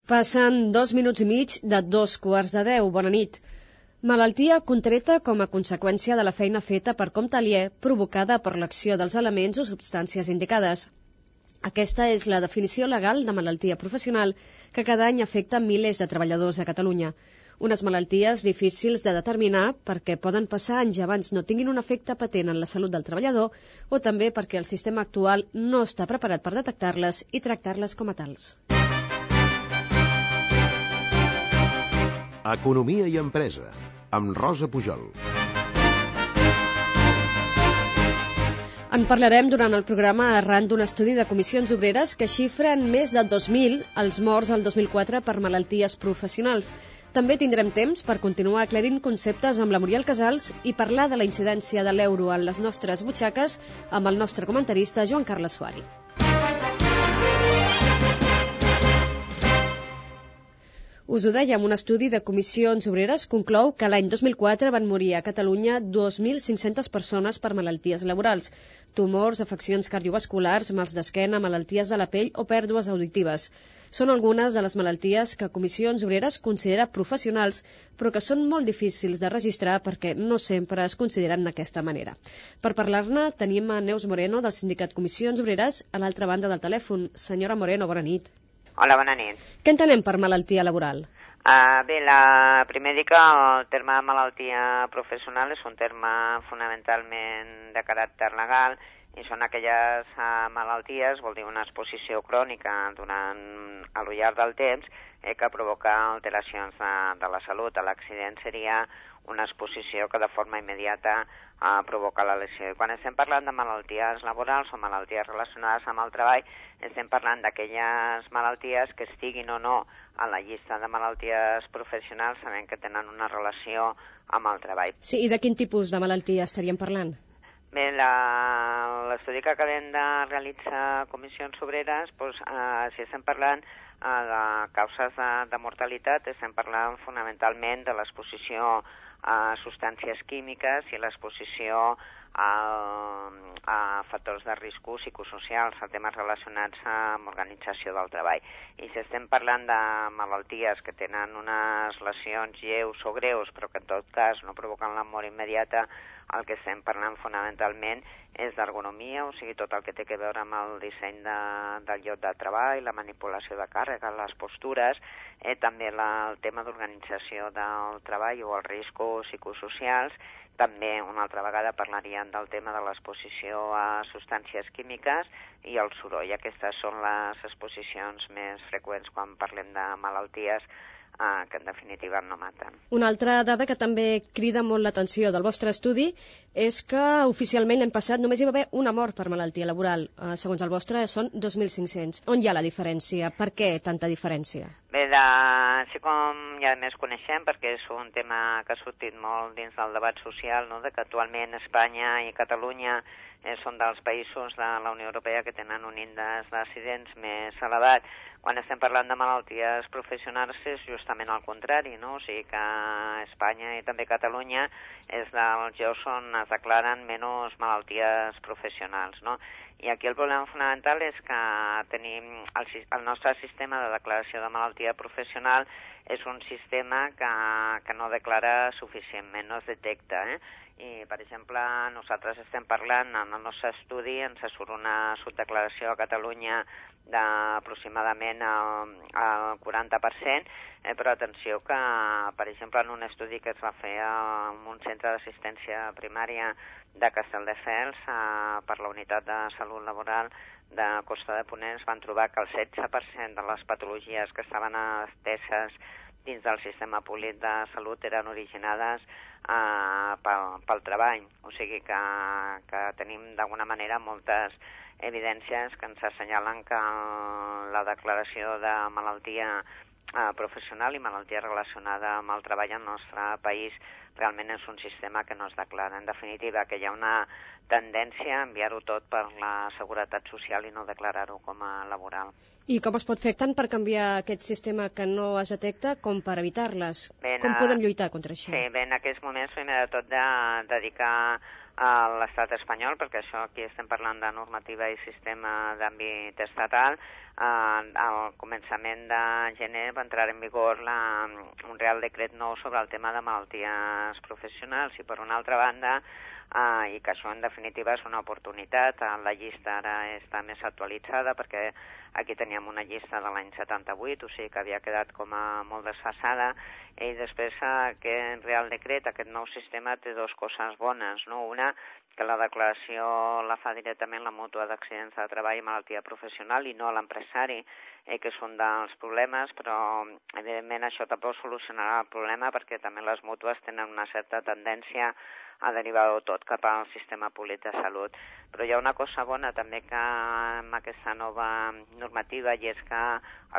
Passen 2 minuts i mig de 2:15. Bona nit. Malaltia contreta com a conseqüència de la feina feta per compte aliè provocada per l'acció dels elements o substàncies indicades. Aquesta és la definició legal de malaltia professional que cada any afecta milers de treballadors a Catalunya. Unes malalties difícils de determinar perquè poden passar anys abans no tinguin un efecte patent en la salut del treballador o també perquè el sistema actual no està preparat per detectar-les i tractar-les com a tals. Economia i empresa, amb Rosa Pujol. En parlarem durant el programa arran d'un estudi de comissions obreres que xifra en més de 2.000 els morts el 2004 per malalties professionals. També tindrem temps per continuar aclarint conceptes amb la Muriel Casals i parlar de la incidència de l'euro en les nostres butxaques amb el nostre comentarista Joan Carles Suari. Us ho dèiem, un estudi de comissions obreres conclou que l'any 2004 van morir a Catalunya 2.500 persones per malalties laborals, tumors, afeccions cardiovasculars, mals d'esquena, malalties de la pell o pèrdues auditives. Són algunes de les malalties que Comissions Obreres considera professionals, però que són molt difícils de registrar perquè no sempre es consideren d'aquesta manera. Per parlar-ne tenim a Neus Moreno del sindicat Comissions Obreres a l'altra banda del telèfon. Senyora Moreno, bona nit. Hola, bona nit. Què entenem per malaltia laboral? Bé, primer dir que el terme malaltia professional és un terme fonamentalment de caràcter legal i són aquelles malalties, vol dir una exposició crònica durant al llarg del temps que provoca alteracions de la salut. L'accident seria una exposició que de forma immediata provoca la lesió. I quan estem parlant de malalties laborals o malalties relacionades amb el treball, estem parlant d'aquelles malalties que estiguin o no a la llista de malalties professionals, sabent que tenen una relació amb el treball. Sí, i de quin tipus de malaltia estaríem parlant? Bé, l'estudi que acabem de realitzar Comissions Obreres, si estem parlant de causes de mortalitat, estem parlant fonamentalment de l'exposició a substàncies químiques i l'exposició a factors de risc psicosocials, a temes relacionats amb organització del treball. I si estem parlant de malalties que tenen unes lesions lleus o greus, però que en tot cas no provoquen la mort immediata, el que estem parlant fonamentalment és d'ergonomia, o sigui, tot el que té a veure amb el disseny del lloc de treball, la manipulació de càrrega, les postures, també el tema d'organització del treball o els riscos psicosocials. També una altra vegada parlaríem del tema de l'exposició a substàncies químiques i el soroll. Aquestes són les exposicions més freqüents quan parlem de malalties que en definitiva no maten. Una altra dada que també crida molt l'atenció del vostre estudi és que oficialment l'any passat només hi va haver una mort per malaltia laboral. Segons el vostre són 2.500. On hi ha la diferència? Per què tanta diferència? Bé, així com ja més coneixem, perquè és un tema que ha sortit molt dins del debat social, no? De que actualment Espanya i Catalunya són dels països de la Unió Europea que tenen un índex d'accidents més elevat. Quan estem parlant de malalties professionals és justament al contrari, no? O sigui que Espanya i també Catalunya és dels llocs on es declaren menys malalties professionals, no? I aquí el problema fonamental és que tenim el nostre sistema de declaració de malaltia professional és un sistema que no declara suficientment, no es detecta, I, per exemple, nosaltres estem parlant, en el nostre estudi ens surt una subdeclaració a Catalunya d'aproximadament el 40%, però atenció que, per exemple, en un estudi que es va fer en un centre d'assistència primària de Castelldefels per la Unitat de Salut Laboral de Costa de Ponent es van trobar que el 16% de les patologies que estaven ateses dins del sistema públic de salut eren originades pel treball. O sigui que tenim d'alguna manera moltes evidències que ens assenyalen que la declaració de malaltia professional i malaltia relacionada amb el treball al nostre país realment és un sistema que no es declara. En definitiva, que hi ha una tendència a enviar-ho tot per la seguretat social i no declarar-ho com a laboral. I com es pot fer tant per canviar aquest sistema que no es detecta com per evitar-les? Com podem lluitar contra això? Sí, bé, en aquests moments, primer de tot, dedicar a l'estat espanyol, perquè això aquí estem parlant de normativa i sistema d'àmbit estatal. Al començament de gener va entrar en vigor un Real Decret nou sobre el tema de malalties professionals i, per una altra banda, i que això en definitiva és una oportunitat. La llista ara està més actualitzada perquè aquí teníem una llista de l'any 78, o sigui que havia quedat com a molt desfasada, i després aquest Real Decret, aquest nou sistema, té dues coses bones, no? Una, que la declaració la fa directament la mútua d'accidents de treball i malaltia professional i no l'empresari, que és un dels problemes, però evidentment això tampoc solucionarà el problema perquè també les mútues tenen una certa tendència a derivar-ho tot cap al sistema públic de salut. Però hi ha una cosa bona també que amb aquesta nova normativa, i és que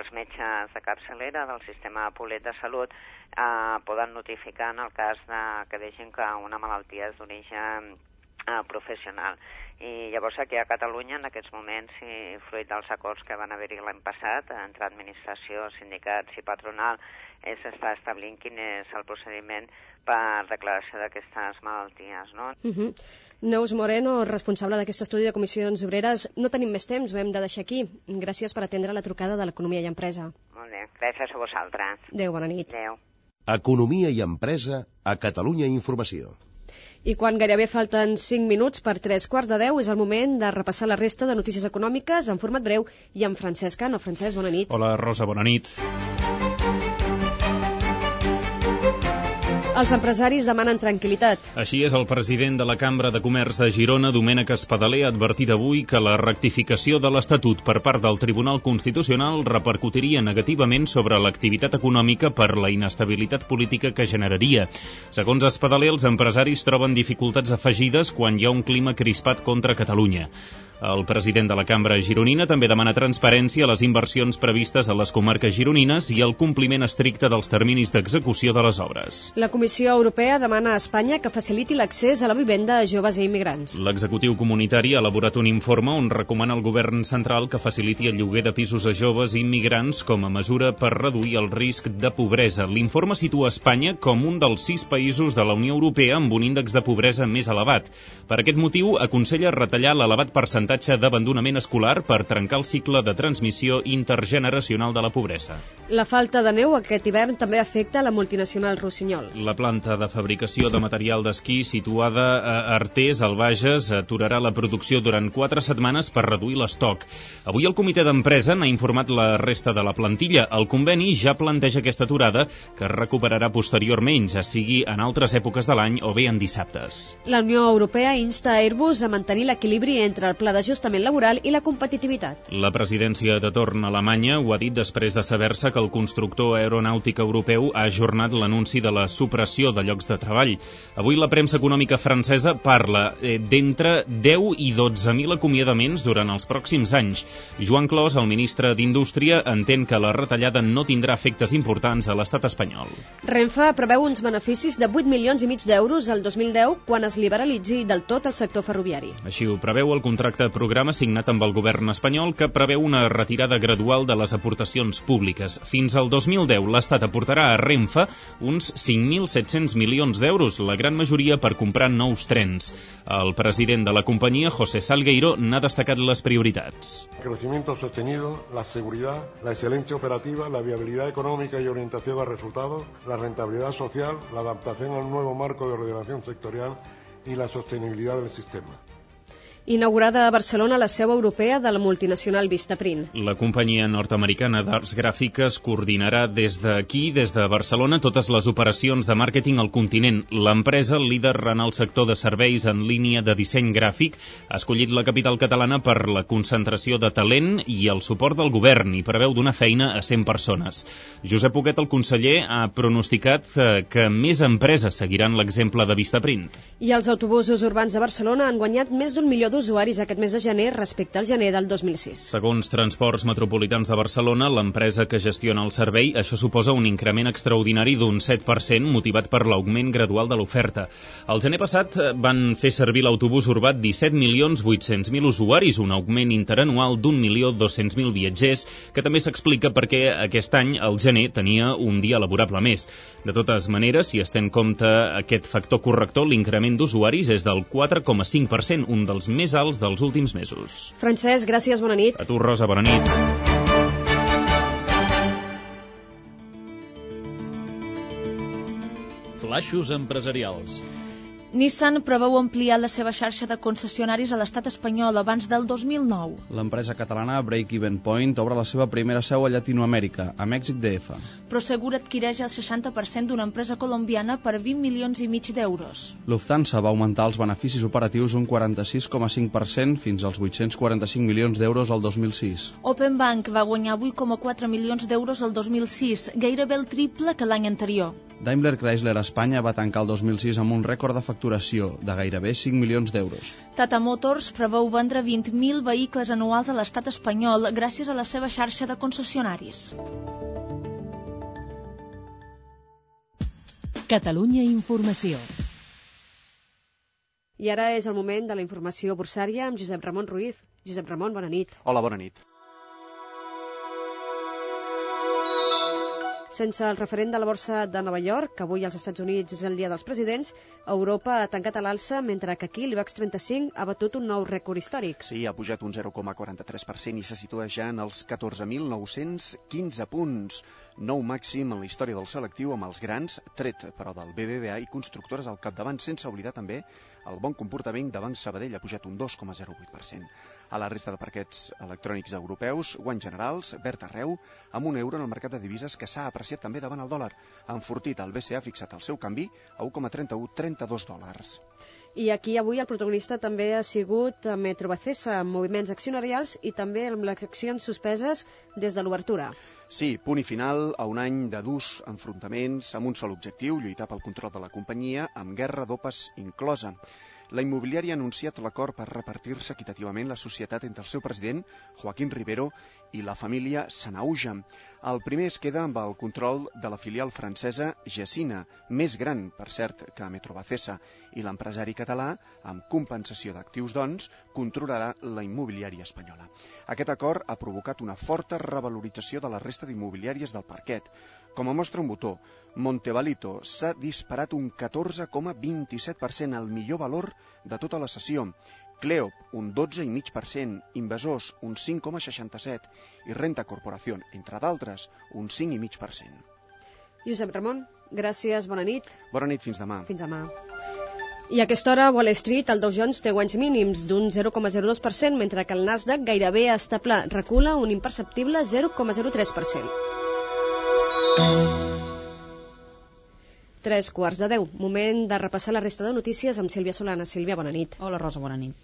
els metges de capçalera del sistema públic de salut poden notificar en el cas que vegin que una malaltia és d'origen professional. I llavors aquí a Catalunya, en aquests moments, i fruit dels acords que van haver-hi l'any passat entre administració, sindicats i patronal, s'està establint quin és el procediment per declaració d'aquestes malalties, no? Neus Moreno, responsable d'aquest estudi de comissions obreres. No tenim més temps, ho hem de deixar aquí. Gràcies per atendre la trucada de l'Economia i Empresa. Molt bé, gràcies a vosaltres. Adéu, bona nit. Adéu. Economia i Empresa a Catalunya Informació. I quan gairebé falten 5 minuts per 3:15, és el moment de repassar la resta de notícies econòmiques en format breu i amb Francesc Cano. Francesc, bona nit. Hola, Rosa, bona nit. Els empresaris demanen tranquil·litat. Així és, el president de la Cambra de Comerç de Girona, Domènec Espadaler, ha advertit avui que la rectificació de l'Estatut per part del Tribunal Constitucional repercutiria negativament sobre l'activitat econòmica per la inestabilitat política que generaria. Segons Espadaler, els empresaris troben dificultats afegides quan hi ha un clima crispat contra Catalunya. El president de la Cambra gironina també demana transparència a les inversions previstes a les comarques gironines i el compliment estricte dels terminis d'execució de les obres. La Comissió Europea demana a Espanya que faciliti l'accés a la vivenda a joves i immigrants. L'executiu comunitari ha elaborat un informe on recomana al govern central que faciliti el lloguer de pisos a joves i immigrants com a mesura per reduir el risc de pobresa. L'informe situa Espanya com un dels 6 països de la Unió Europea amb un índex de pobresa més elevat. Per aquest motiu, aconsella retallar l'elevat percentatge d'abandonament escolar per trencar el cicle de transmissió intergeneracional de la pobresa. La falta de neu aquest hivern també afecta la multinacional Rossinyol. La planta de fabricació de material d'esquí situada a Artés, al Bages, aturarà la producció durant 4 setmanes per reduir l'estoc. Avui el comitè d'empresa n'ha informat la resta de la plantilla. El conveni ja planteja aquesta aturada, que es recuperarà posteriorment, ja sigui en altres èpoques de l'any o bé en dissabtes. La Unió Europea insta a Airbus a mantenir l'equilibri entre el pla d'ajustament laboral i la competitivitat. La presidència de torn alemanya ho ha dit després de saber-se que el constructor aeronàutic europeu ha ajornat l'anunci de la supressió de llocs de treball. Avui la premsa econòmica francesa parla d'entre 10 i 12.000 acomiadaments durant els pròxims anys. Joan Clos, el ministre d'Indústria, entén que la retallada no tindrà efectes importants a l'estat espanyol. Renfe preveu uns beneficis de 8,5 milions d'euros al 2010 quan es liberalitzi del tot el sector ferroviari. Així ho preveu el contracte programa signat amb el govern espanyol, que preveu una retirada gradual de les aportacions públiques. Fins al 2010 l'Estat aportarà a Renfe uns 5.700 milions d'euros, la gran majoria per comprar nous trens. El president de la companyia, José Salgueiro, n'ha destacat les prioritats. El crecimiento sostenido, la seguridad, la excelencia operativa, la viabilidad económica y orientación a resultados, la rentabilidad social, la adaptación al nuevo marco de ordenación sectorial y la sostenibilidad del sistema. Inaugurada a Barcelona la seu europea de la multinacional Vistaprint. La companyia nord-americana d'arts gràfiques coordinarà des d'aquí, des de Barcelona, totes les operacions de màrqueting al continent. L'empresa, líder en el sector de serveis en línia de disseny gràfic, ha escollit la capital catalana per la concentració de talent i el suport del govern i preveu donar feina a 100 persones. Josep Huguet, el conseller, ha pronosticat que més empreses seguiran l'exemple de Vistaprint. I els autobusos urbans de Barcelona han guanyat més d'1 milió d'usos usuaris aquest mes de gener respecte al gener del 2006. Segons Transports Metropolitans de Barcelona, l'empresa que gestiona el servei, això suposa un increment extraordinari d'un 7%, motivat per l'augment gradual de l'oferta. El gener passat van fer servir l'autobús urbà 17.800.000 usuaris, un augment interanual d'1.200.000 viatgers, que també s'explica perquè aquest any, el gener, tenia un dia laborable més. De totes maneres, si es té en compte aquest factor corrector, l'increment d'usuaris és del 4,5%, un dels més alts dels últims mesos. Francesc, gràcies, bona nit. A tu, Rosa, bona nit. Flaixos empresarials. Nissan preveu ampliar la seva xarxa de concessionaris a l'estat espanyol abans del 2009. L'empresa catalana Break Even Point obre la seva primera seu a Llatinoamèrica, a Mèxic DF. Prosegur adquireix el 60% d'una empresa colombiana per 20,5 milions d'euros. Lufthansa va augmentar els beneficis operatius un 46,5% fins als 845 milions d'euros al 2006. Open Bank va guanyar 8,4 milions d'euros el 2006, gairebé el triple que l'any anterior. Daimler Chrysler Espanya va tancar el 2006 amb un rècord de facturació de gairebé 5 milions d'euros. Tata Motors preveu vendre 20.000 vehicles anuals a l'estat espanyol gràcies a la seva xarxa de concessionaris. Catalunya Informació. I ara és el moment de la informació borsària amb Josep Ramon Ruiz. Josep Ramon, bona nit. Hola, bona nit. Sense el referent de la borsa de Nova York, que avui als Estats Units és el dia dels presidents, Europa ha tancat a l'alça, mentre que aquí l'IBEX 35 ha batut un nou rècord històric. Sí, ha pujat un 0,43% i se situa ja en els 14.915 punts. Nou màxim en la història del selectiu amb els grans, tret però del BBVA i constructores al capdavant, sense oblidar també el bon comportament de Banc Sabadell, ha pujat un 2,08%. A la resta de parquets electrònics europeus, guanys generals, verd arreu, amb un euro en el mercat de divises que s'ha apreciat també davant el dòlar. Ha enfortit el BCE, ha fixat el seu canvi a 1,3132 dòlars. I aquí avui el protagonista també ha sigut Metrovacesa, amb moviments accionarials i també amb les accions suspeses des de l'obertura. Sí, punt i final a un any de durs enfrontaments amb un sol objectiu, lluitar pel control de la companyia, amb guerra d'opes inclosa. La immobiliària ha anunciat l'acord per repartir-se equitativament la societat entre el seu president, Joaquín Rivero, i la família Sanauja. El primer es queda amb el control de la filial francesa Gecina, més gran, per cert, que Metrovacesa, i l'empresari català, amb compensació d'actius, doncs, controlarà la immobiliària espanyola. Aquest acord ha provocat una forta revalorització de la resta d'immobiliàries del parquet. Com a mostra un botó, Montevalito s'ha disparat un 14,27%, el millor valor de tota la sessió. Cleop, un 12,5%, Invasors, un 5,67% i Renta Corporación, entre d'altres, un 5,5%. Josep Ramon, gràcies, bona nit. Bona nit, fins demà. Fins demà. I a aquesta hora, Wall Street, el Dow Jones té guanys mínims d'un 0,02%, mentre que el Nasdaq gairebé està pla, recula un imperceptible 0,03%. 9:03. Moment de repassar la resta de notícies amb Sílvia Solana. Sílvia, bona nit. Hola, Rosa, bona nit.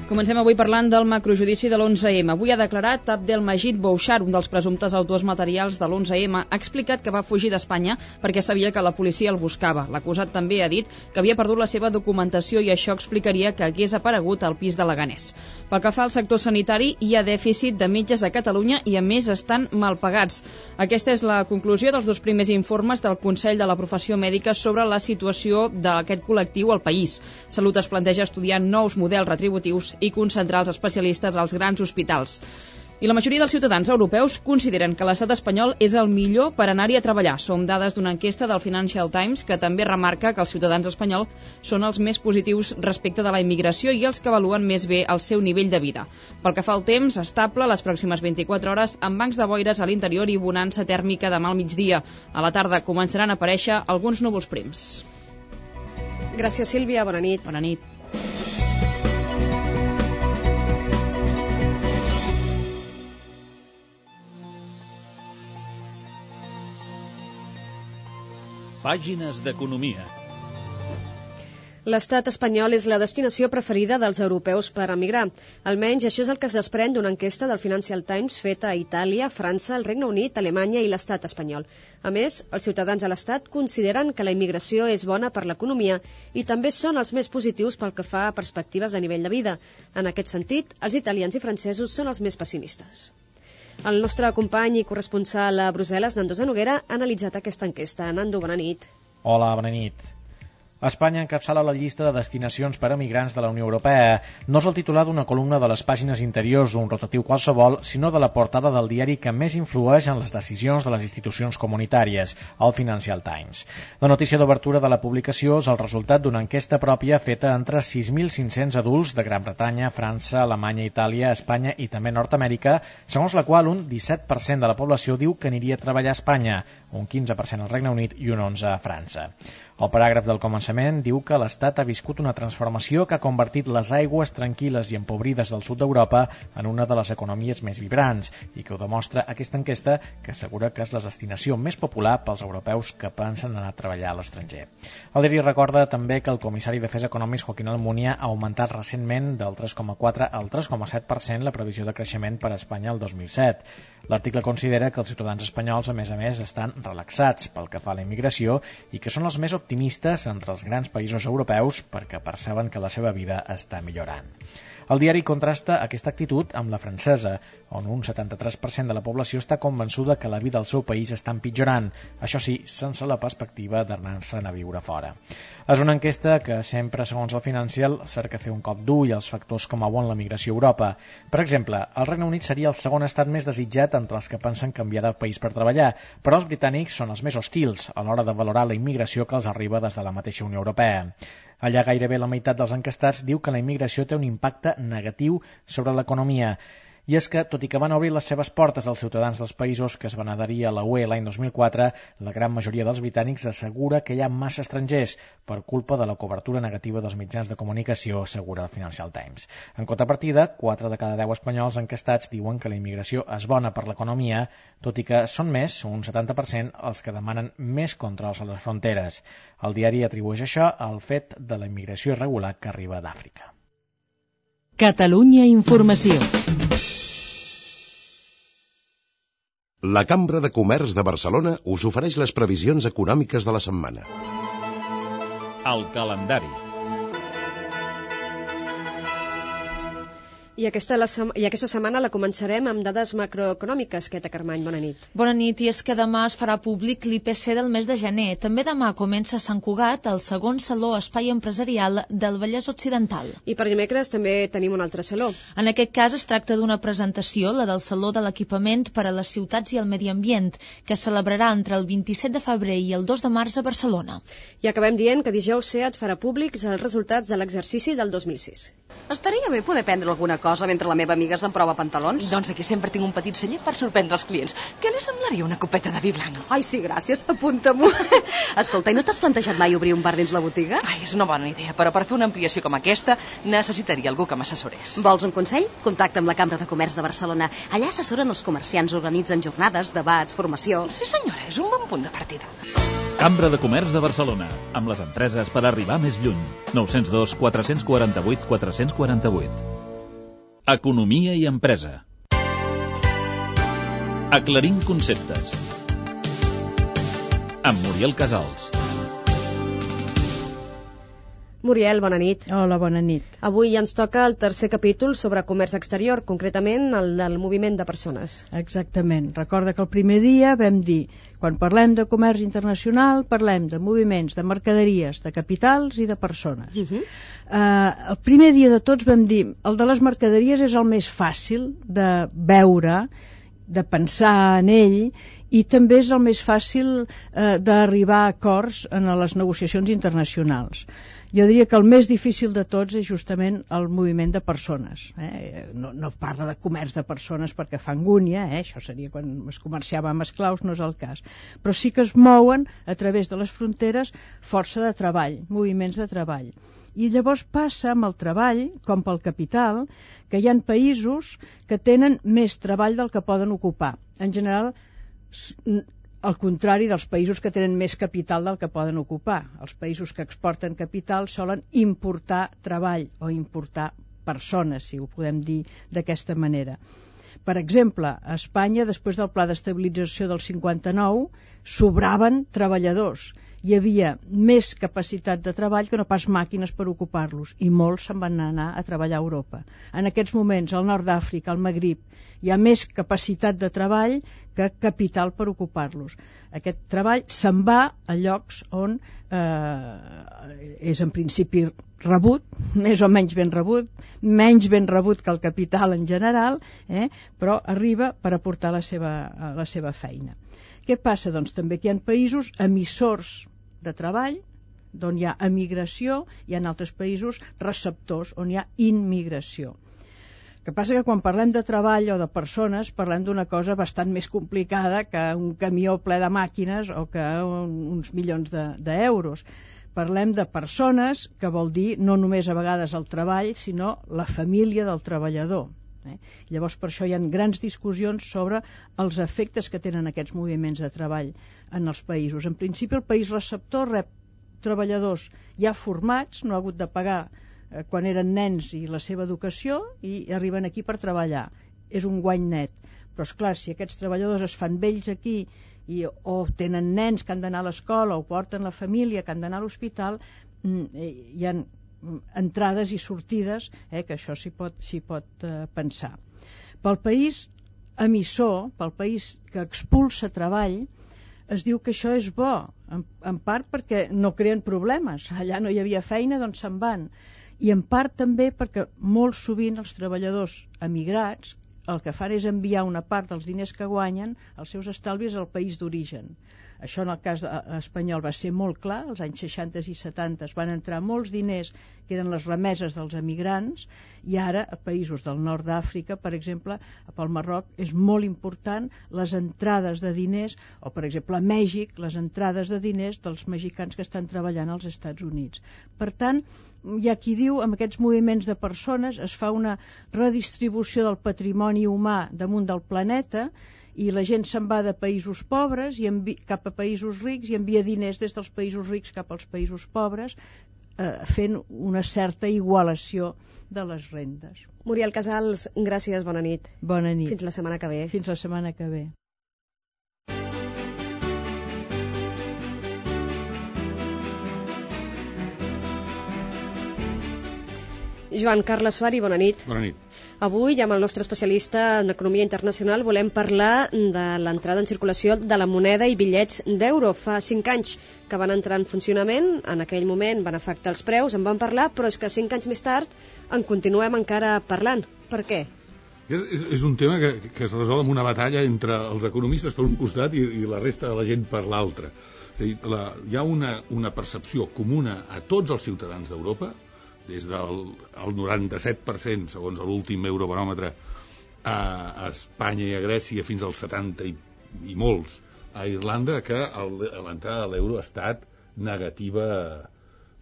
Comencem avui parlant del macrojudici de l'11M. Avui ha declarat Abdelmajid Bouchar, un dels presumptes autors materials de l'11M. Ha explicat que va fugir d'Espanya perquè sabia que la policia el buscava. L'acusat també ha dit que havia perdut la seva documentació i això explicaria que hagués aparegut al pis de Leganés. Pel que fa al sector sanitari, hi ha dèficit de metges a Catalunya i, a més, estan mal pagats. Aquesta és la conclusió dels dos primers informes del Consell de la Professió Mèdica sobre la situació d'aquest col·lectiu al país. Salut es planteja estudiar nous models retributius i concentrar els especialistes als grans hospitals. I la majoria dels ciutadans europeus consideren que l'estat espanyol és el millor per anar-hi a treballar. Són dades d'una enquesta del Financial Times que també remarca que els ciutadans espanyols són els més positius respecte de la immigració i els que avaluen més bé el seu nivell de vida. Pel que fa al temps, estable les pròximes 24 hores amb bancs de boires a l'interior i bonança tèrmica demà al migdia. A la tarda començaran a aparèixer alguns núvols prims. Gràcies, Sílvia. Bona nit. Bona nit. Pàgines d'economia. L'estat espanyol és la destinació preferida dels europeus per emigrar. Almenys això és el que es desprèn d'una enquesta del Financial Times feta a Itàlia, França, el Regne Unit, Alemanya i l'estat espanyol. A més, els ciutadans de l'estat consideren que la immigració és bona per l'economia i també són els més positius pel que fa a perspectives de nivell de vida. En aquest sentit, els italians i francesos són els més pessimistes. El nostre company i corresponsal a Brussel·les, Nando Zanoguera, ha analitzat aquesta enquesta. Nando, bona nit. Hola, bona nit. Espanya encapçala la llista de destinacions per a migrants de la Unió Europea. No és el titular d'una columna de les pàgines interiors d'un rotatiu qualsevol, sinó de la portada del diari que més influeix en les decisions de les institucions comunitàries, el Financial Times. La notícia d'obertura de la publicació és el resultat d'una enquesta pròpia feta entre 6.500 adults de Gran Bretanya, França, Alemanya, Itàlia, Espanya i també Nord-Amèrica, segons la qual un 17% de la població diu que aniria a treballar a Espanya, un 15% al Regne Unit i un 11% a França. El paràgraf del començament diu que l'Estat ha viscut una transformació que ha convertit les aigües tranquil·les i empobrides del sud d'Europa en una de les economies més vibrants i que ho demostra aquesta enquesta que assegura que és la destinació més popular pels europeus que pensen anar a treballar a l'estranger. El diari recorda també que el comissari d'Afers Econòmics Joaquín Almunia ha augmentat recentment del 3,4 al 3,7% la previsió de creixement per a Espanya el 2007. L'article considera que els ciutadans espanyols, a més, estan relaxats pel que fa a la immigració i que són els més optimistes entre els grans països europeus perquè perceben que la seva vida està millorant. El diari contrasta aquesta actitud amb la francesa, on un 73% de la població està convençuda que la vida al seu país està empitjorant, això sí, sense la perspectiva d'anar-se'n a viure fora. És una enquesta que sempre, segons el Financial, cerca fer un cop d'ull als factors que mouen la migració a Europa. Per exemple, el Regne Unit seria el segon estat més desitjat entre els que pensen canviar de país per treballar, però els britànics són els més hostils a l'hora de valorar la immigració que els arriba des de la mateixa Unió Europea. Allà gairebé la meitat dels enquestats diu que la immigració té un impacte negatiu sobre l'economia. I és que, tot i que van obrir les seves portes als ciutadans dels països que es van adherir a la UE l'any 2004, la gran majoria dels britànics assegura que hi ha massa estrangers per culpa de la cobertura negativa dels mitjans de comunicació, assegura el Financial Times. En contrapartida, 4 de cada 10 espanyols enquestats diuen que la immigració és bona per l'economia, tot i que són més, un 70%, els que demanen més controls a les fronteres. El diari atribueix això al fet de la immigració irregular que arriba d'Àfrica. Catalunya Informació. La Cambra de Comerç de Barcelona us ofereix les previsions econòmiques de la setmana. El calendari. I aquesta setmana la començarem amb dades macroeconòmiques. Queta Carmany, bona nit. Bona nit, i és que demà es farà públic l'IPC del mes de gener. També demà comença a Sant Cugat el segon Saló Espai Empresarial del Vallès Occidental. I per dimecres també tenim un altre saló. En aquest cas es tracta d'una presentació, la del Saló de l'Equipament per a les Ciutats i el Medi Ambient, que es celebrarà entre el 27 de febrer i el 2 de març a Barcelona. I acabem dient que dijous SEAT farà públics els resultats de l'exercici del 2006. Estaria bé poder prendre alguna cosa mentre la meva amiga s'emprova pantalons. Doncs aquí sempre tinc un petit celler per sorprendre els clients. Què li semblaria una copeta de vi blanc? Ai, sí, gràcies, apunta-m'ho. Escolta, i no t'has plantejat mai obrir un bar dins la botiga? Ai, és una bona idea, però per fer una ampliació com aquesta necessitaria algú que m'assessorés. Vols un consell? Contacta amb la Cambra de Comerç de Barcelona. Allà assessoren els comerciants, organitzen jornades, debats, formació... Sí, senyora, és un bon punt de partida. Cambra de Comerç de Barcelona, amb les empreses per arribar més lluny. 902 448 448. Economia i empresa. Aclarint conceptes. Amb Muriel Casals. Muriel, bona nit. Hola, bona nit. Avui ens toca el tercer capítol sobre comerç exterior, concretament el del moviment de persones. Exactament. Recorda que el primer dia vam dir, quan parlem de comerç internacional, parlem de moviments, de mercaderies, de capitals i de persones. El primer dia de tots vam dir, el de les mercaderies és el més fàcil de veure, de pensar en ell, i també és el més fàcil d'arribar a acords en les negociacions internacionals. Jo diria que el més difícil de tots és justament el moviment de persones. No parla de comerç de persones perquè fa angúnia, això seria quan es comerciava amb esclaus, no és el cas. Però sí que es mouen a través de les fronteres força de treball, moviments de treball. I llavors passa amb el treball, com pel capital, que hi ha països que tenen més treball del que poden ocupar. En general, al contrari dels països que tenen més capital del que poden ocupar. Els països que exporten capital solen importar treball o importar persones, si ho podem dir d'aquesta manera. Per exemple, a Espanya, després del pla d'estabilització del 59, sobraven treballadors. Hi havia més capacitat de treball que no pas màquines per ocupar-los, i molts se'n van anar a treballar a Europa. En aquests moments, al nord d'Àfrica, al Magrib, hi ha més capacitat de treball que capital per ocupar-los. Aquest treball se'n va a llocs on és en principi rebut, més o menys ben rebut, menys ben rebut que el capital en general, però arriba per aportar la seva feina. Què passa? Doncs també que hi ha països emissors de treball, d'on hi ha emigració, hi ha altres països receptors, on hi ha immigració. El que passa que quan parlem de treball o de persones, parlem d'una cosa bastant més complicada que un camió ple de màquines o que uns milions d'euros. Parlem de persones, que vol dir no només a vegades el treball, sinó la família del treballador. Llavors per això hi ha grans discussions sobre els efectes que tenen aquests moviments de treball en els països. En principi el país receptor rep treballadors ja formats, no ha hagut de pagar quan eren nens i la seva educació, i arriben aquí per treballar. És un guany net. Però esclar, si aquests treballadors es fan vells aquí o tenen nens que han d'anar a l'escola o porten la família que han d'anar a l'hospital, hi ha entrades i sortides, que això s'hi pot pensar. Pel país emissor, pel país que expulsa treball, es diu que això és bo, en part perquè no creen problemes, allà no hi havia feina, doncs se'n van, i en part també perquè molt sovint els treballadors emigrats el que fan és enviar una part dels diners que guanyen, els seus estalvis, al país d'origen. Això en el cas espanyol va ser molt clar, als anys 60 i 70 van entrar molts diners que eren les remeses dels emigrants, i ara a països del nord d'Àfrica, per exemple, pel Marroc, és molt important les entrades de diners, o per exemple a Mèxic, les entrades de diners dels mexicans que estan treballant als Estats Units. Per tant, hi ha qui diu, amb aquests moviments de persones es fa una redistribució del patrimoni humà damunt del planeta, i la gent se'n va de països pobres cap a països rics i envia diners des dels països rics cap als països pobres, fent una certa igualació de les rendes. Muriel Casals, gràcies, bona nit. Bona nit. Fins la setmana que ve. Fins la setmana que ve. Joan Carles Suari, bona nit. Bona nit. Avui, amb el nostre especialista en economia internacional, volem parlar de l'entrada en circulació de la moneda i bitllets d'euro. Fa 5 anys que van entrar en funcionament, en aquell moment van afectar els preus, en van parlar, però és que 5 anys més tard en continuem encara parlant. Per què? És un tema que es resol amb una batalla entre els economistes per un costat i la resta de la gent per l'altre. Hi ha una percepció comuna a tots els ciutadans d'Europa, des del 97%, segons l'últim eurobaròmetre, a Espanya i a Grècia, fins als 70 i molts a Irlanda, que l'entrada de l'euro ha estat negativa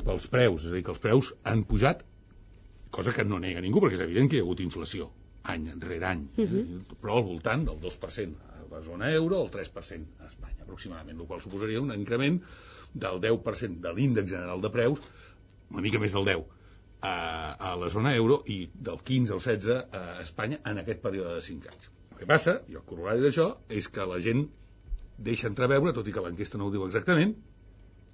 pels preus. És a dir, que els preus han pujat, cosa que no nega ningú, perquè és evident que hi ha hagut inflació, any rere any, però al voltant del 2% a la zona euro, el 3% a Espanya, aproximadament, el qual suposaria un increment del 10% de l'índex general de preus, una mica més del 10%, a la zona euro, i del 15 al 16 a Espanya en aquest període de 5 anys. El que passa, i el corolari d'això, és que la gent deixa entreveure, tot i que l'enquesta no ho diu exactament,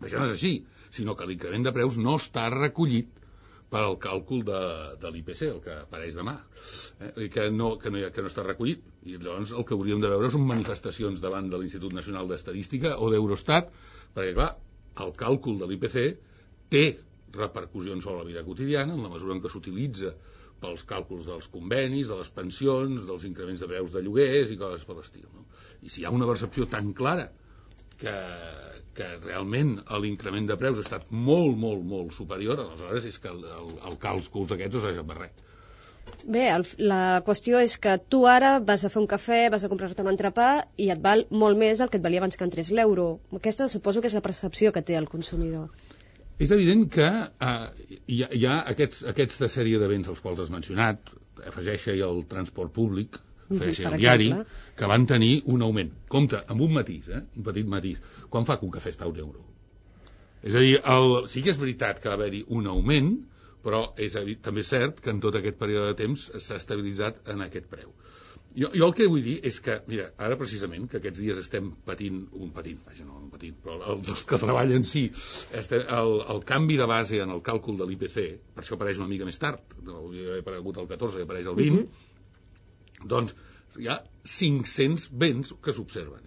que això no és així, sinó que l'increment de preus no està recollit per al càlcul de l'IPC, el que apareix demà, que no està recollit. I llavors el que hauríem de veure són manifestacions davant de l'Institut Nacional d'Estadística o d'Eurostat, perquè clar, el càlcul de l'IPC té repercussions sobre la vida quotidiana en la mesura en què s'utilitza pels càlculs dels convenis, de les pensions, dels increments de preus de lloguers i coses per l'estil, no? I si hi ha una percepció tan clara que realment l'increment de preus ha estat molt, molt, molt superior, aleshores és que el càlculs aquests no serveixen per res. Bé, la qüestió és que tu ara vas a fer un cafè, vas a comprar-te un entrepà i et val molt més del que et valia abans que entrés l'euro. Aquesta suposo que és la percepció que té el consumidor. És evident que hi ha aquesta sèrie de béns als quals has mencionat, afegeix-hi el transport públic, feia el diari, que van tenir un augment. Compte, amb un matís, un petit matís. Quan fa que un cafè està a €1? És a dir, sí que és veritat que va haver-hi un augment, però també és cert que en tot aquest període de temps s'ha estabilitzat en aquest preu. Jo el que vull dir és que, mira, ara precisament, que aquests dies estem patint, però els que treballen sí, el canvi de base en el càlcul de l'IPC, per això apareix una mica més tard, no hauria d'haver aparegut el 14, apareix el 20, doncs hi ha 500 béns que s'observen,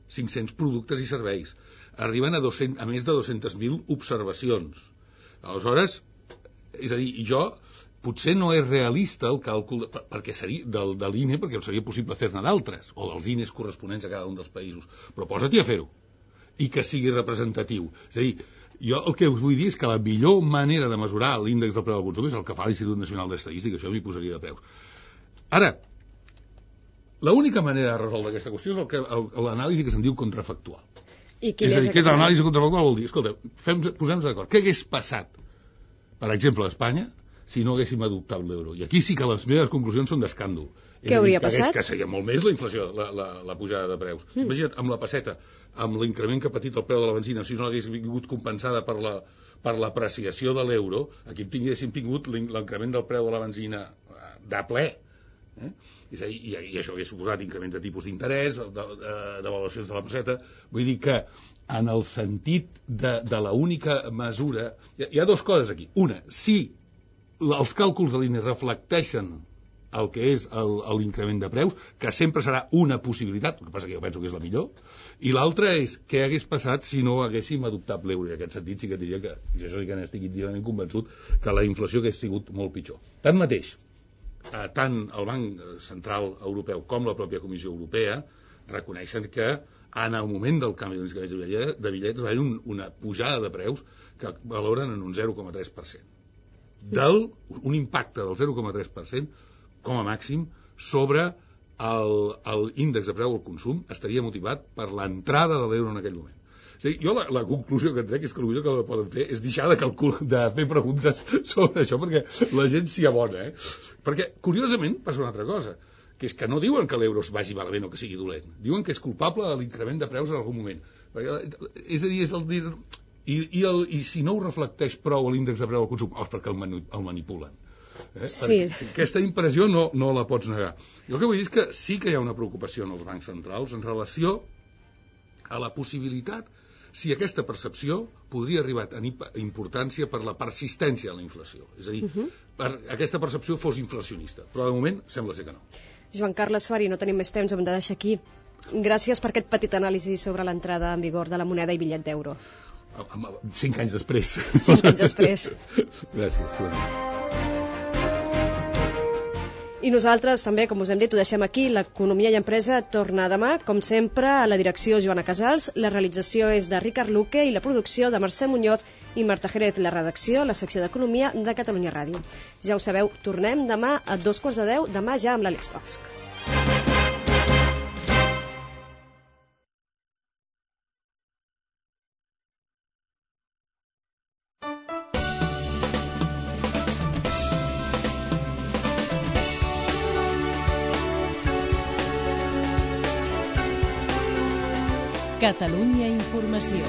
500 productes i serveis, arriben a més de 200.000 observacions. Aleshores, és a dir, potser no és realista el càlcul perquè seria de l'INE, perquè seria possible fer-ne d'altres, o dels INEs corresponents a cada un dels països, però posa-t'hi a fer-ho i que sigui representatiu. És a dir, jo el que us vull dir és que la millor manera de mesurar l'índex del preu del consum és el que fa l'Institut Nacional d'Estadística, això m'hi posaria de preus. Ara, l'única manera de resoldre aquesta qüestió és l'anàlisi que se'n diu contrafactual. És a dir, què és l'anàlisi contrafactual? Vol dir, escolta, posem-nos d'acord, què hagués passat, per exemple, a Espanya, si no haguéssim adoptat l'euro? I aquí sí que les meves conclusions són d'escàndol. Què hauria passat? Que seria molt més la inflació, la pujada de preus. Imagina't, amb la pesseta, amb l'increment que ha patit el preu de la benzina, si no l'hagués vingut compensada per l'apreciació de l'euro, aquí tinguéssim tingut l'increment del preu de la benzina de ple. És a dir, i això hauria suposat increment de tipus d'interès, d'avaluacions de la pesseta. Vull dir que en el sentit de l'única mesura... Hi ha dues coses aquí. Una, si els càlculs de l'INE reflecteixen el que és l'increment de preus, que sempre serà una possibilitat, el que passa que jo penso que és la millor, i l'altra és què hagués passat si no haguéssim adoptat l'euro. I en aquest sentit sí que diria que, jo això sí que n'estic íntimament convençut, que la inflació hagués sigut molt pitjor. Tanmateix, tant el Banc Central Europeu com la pròpia Comissió Europea reconeixen que en el moment del canvi de bitllets va haver una pujada de preus que valoren en un 0,3%. Un impacte del 0,3% com a màxim sobre l'índex de preu al consum estaria motivat per l'entrada de l'euro en aquell moment. O sigui, jo la conclusió que trec és que el millor que poden fer és deixar de fer preguntes sobre això perquè la gent s'hi abona. Perquè, curiosament, passa una altra cosa, que és que no diuen que l'euro es vagi malament o que sigui dolent. Diuen que és culpable de l'increment de preus en algun moment. És a dir, és el dir... I si no ho reflecteix prou l'índex de preu al consum, és perquè el manipulen. Sí. Aquesta impressió no la pots negar. Jo el que vull dir és que sí que hi ha una preocupació en els bancs centrals en relació a la possibilitat si aquesta percepció podria arribar a tenir importància per la persistència de la inflació. És a dir, aquesta percepció fos inflacionista. Però de moment sembla ser que no. Joan Carles Fari, no tenim més temps, hem de deixar aquí. Gràcies per aquest petit anàlisi sobre l'entrada en vigor de la moneda i bitllet d'euro. 5 anys després. 5 anys després. Gràcies. I nosaltres també, com us hem dit, ho deixem aquí. L'Economia i Empresa torna demà, com sempre, a la direcció Joana Casals. La realització és de Ricard Luque i la producció de Mercè Muñoz i Marta Jerez. La redacció, la secció d'Economia de Catalunya Ràdio. Ja ho sabeu, tornem demà a 9:45, demà ja amb l'Àlex Bosch. Catalunya Informació.